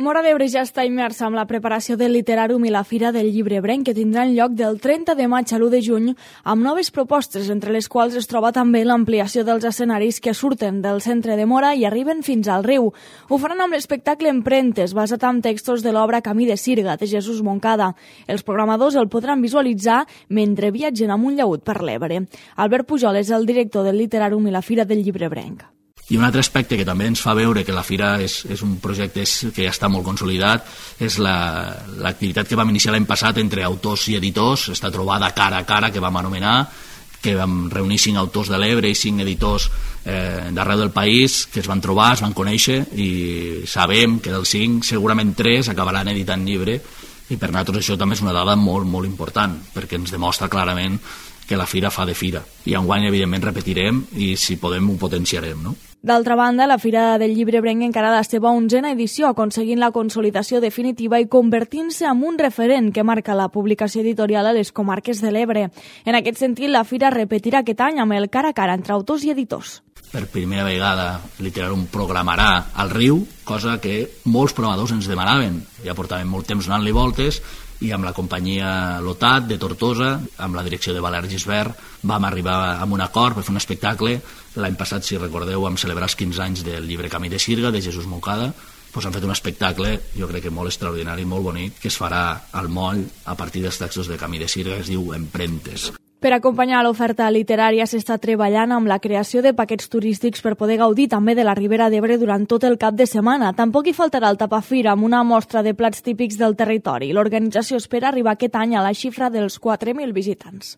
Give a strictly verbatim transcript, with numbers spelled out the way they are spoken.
Móra d'Ebre ja està immersa en la preparació del Literàrum i la Fira del Llibre Ebrenc, que tindran lloc del trenta de maig a l'u de juny, amb noves propostes, entre les quals es troba també l'ampliació dels escenaris que surten del centre de Móra i arriben fins al riu. Ho faran amb l'espectacle Emprentes, basat en textos de l'obra Camí de Sirga, de Jesús Moncada. Els programadors el podran visualitzar mentre viatgen amunt llaüt per l'Ebre. Albert Pujol és el director del Literàrum i la Fira del Llibre Ebrenc. I un altre aspecte que també ens fa veure que la Fira és, és un projecte que ja està molt consolidat és l'activitat la, que vam iniciar l'any passat entre autors i editors, esta trobada cara a cara que vam anomenar, que vam reunir cinc autors de l'Ebre i cinc editors eh, d'arreu del país que es van trobar, es van conèixer i sabem que dels cinc segurament tres acabaran editant llibre i per nosaltres això també és una dada molt, molt important perquè ens demostra clarament que la Fira fa de Fira i enguany evidentment repetirem i si podem ho potenciarem, no? D'altra banda, la Fira del Llibre Ebrenc encara la seva onzena edició, aconseguint la consolidació definitiva i convertint-se en un referent que marca la publicació editorial a les comarques de l'Ebre. En aquest sentit, la Fira repetirà aquest any amb el cara a cara entre autors i editors. Per primera vegada, Literàrum programarà al riu, cosa que molts programadors ens demanaven. Ja portàvem molt temps donant-li voltes i amb la companyia Lotat de Tortosa, amb la direcció de Valer Gisbert, vam arribar a un acord per fer un espectacle. L'any passat, si recordeu, vam celebrar els quinze anys del llibre Camí de Sirga, de Jesús Moncada. Pues han fet un espectacle, jo crec que molt extraordinari, molt bonic, que es farà al moll a partir dels textos de Camí de Sirga, que es diu Emprentes. Per acompanyar l'oferta literària s'està treballant amb la creació de paquets turístics per poder gaudir també de la Ribera d'Ebre durant tot el cap de setmana. Tampoc hi faltarà el tapafira amb una mostra de plats típics del territori. L'organització espera arribar aquest any a la xifra dels quatre mil visitants.